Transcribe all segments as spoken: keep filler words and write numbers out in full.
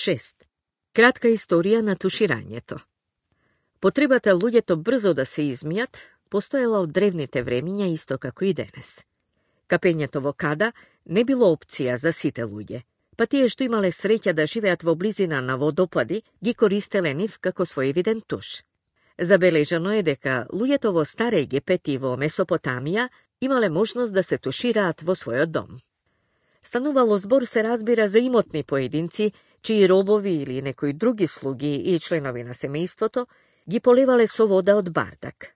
шест. Кратка историја на туширањето. Потребата луѓето брзо да се измијат постоела од древните времиња исто како и денес. Капењето во када не било опција за сите луѓе, па тие што имале среќа да живеат во близина на водопади, ги користеле нив како свој виден туш. Забележано е дека луѓето во Стар Египет и во Месопотамија имале можност да се тушираат во својот дом. Станувало збор, се разбира, за имотни поединци, чии робови или некои други слуги и членови на семејството ги поливале со вода од бардак.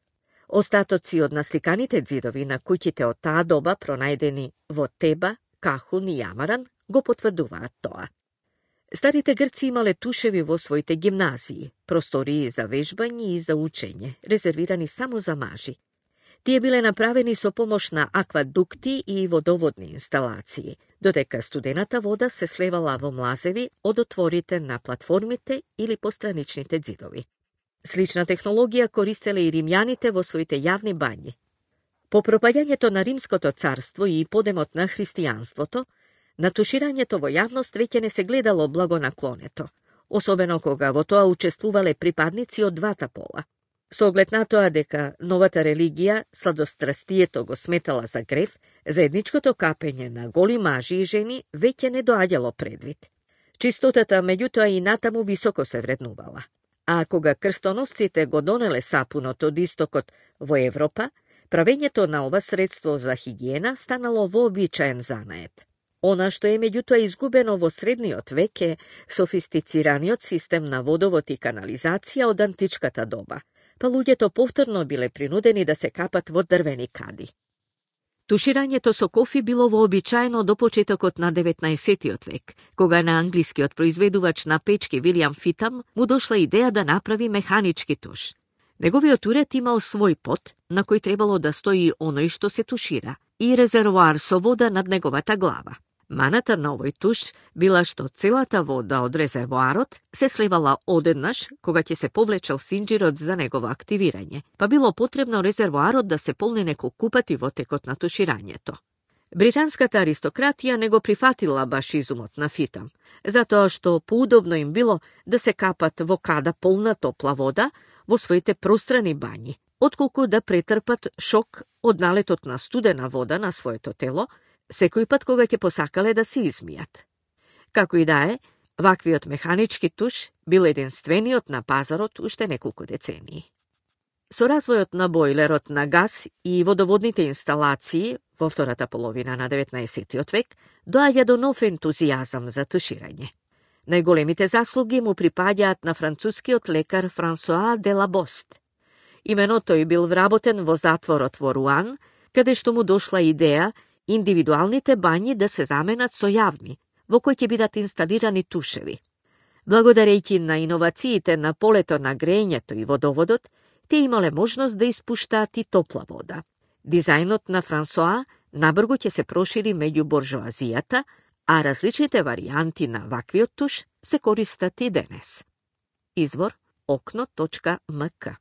Остатоци од насликаните ѕидови на куќите од таа доба, пронајдени во Теба, Кахун и Амаран, го потврдуваат тоа. Старите грци имале тушеви во своите гимназии, простории за вежбање и за учење, резервирани само за мажи. Тие биле направени со помош на аквадукти и водоводни инсталации, додека студената вода се слевала во млазеви од отворите на платформите или постраничните ѕидови. Слична технологија користеле и римјаните во своите јавни бањи. По пропаѓањето на Римското царство и подемот на христијанството, на туширањето во јавност веќе не се гледало благонаклонето, особено кога во тоа учествувале припадници од двата пола. Со оглед на тоа дека новата религија, сладострастието го сметала за грев, заедничкото капење на голи мажи и жени веќе не доаѓало предвид. Чистотата меѓутоа и натаму високо се вреднувала. А кога крстоносците го донеле сапунот од истокот во Европа, правењето на ова средство за хигиена станало вообичаен занает. Она што е меѓутоа изгубено во средниот век е софистицираниот систем на водовод и канализација од античката доба, па луѓето повторно биле принудени да се капат во дрвени кади. Туширањето со кофи било вообичаено до почетокот на деветнаесеттиот век, кога на англискиот произведувач на печки Вилијам Фитам му дошла идеја да направи механички туш. Неговиот уред имал свој пот, на кој требало да стои оној што се тушира, и резервоар со вода над неговата глава. Маната на овој туш била што целата вода од резервоарот се слевала одеднаш кога ќе се повлечел синџирот за негово активирање, па било потребно резервоарот да се полни неколку пати во текот на туширањето. Британската аристократија не го прифатила баш изумот на Фитам, затоа што поудобно им било да се капат во када полна топла вода во своите пространи бањи, отколку да претрпат шок од налетот на студена вода на своето тело, секој пат кога ќе посакале да се измијат. Како и да е, ваквиот механички туш бил единствениот на пазарот уште неколку децении. Со развојот на бойлерот на газ и водоводните инсталации во втората половина на деветнаесеттиот век доаѓа до нов ентузијазам за туширање. Најголемите заслуги му припаѓаат на францускиот лекар Франсоа де Лабост. Имено тој бил вработен во затворот во Руан, каде што му дошла идеја индивидуалните бањи да се заменат со јавни, во кои ќе бидат инсталирани тушеви. Благодарејќи на иновациите на полето на грејењето и водоводот, те имале можност да испуштаат и топла вода. Дизајнот на Франсоа набрзо ќе се прошири меѓу буржоазијата, а различните варијанти на ваквиот туш се користат и денес. Извор окно точка ем ка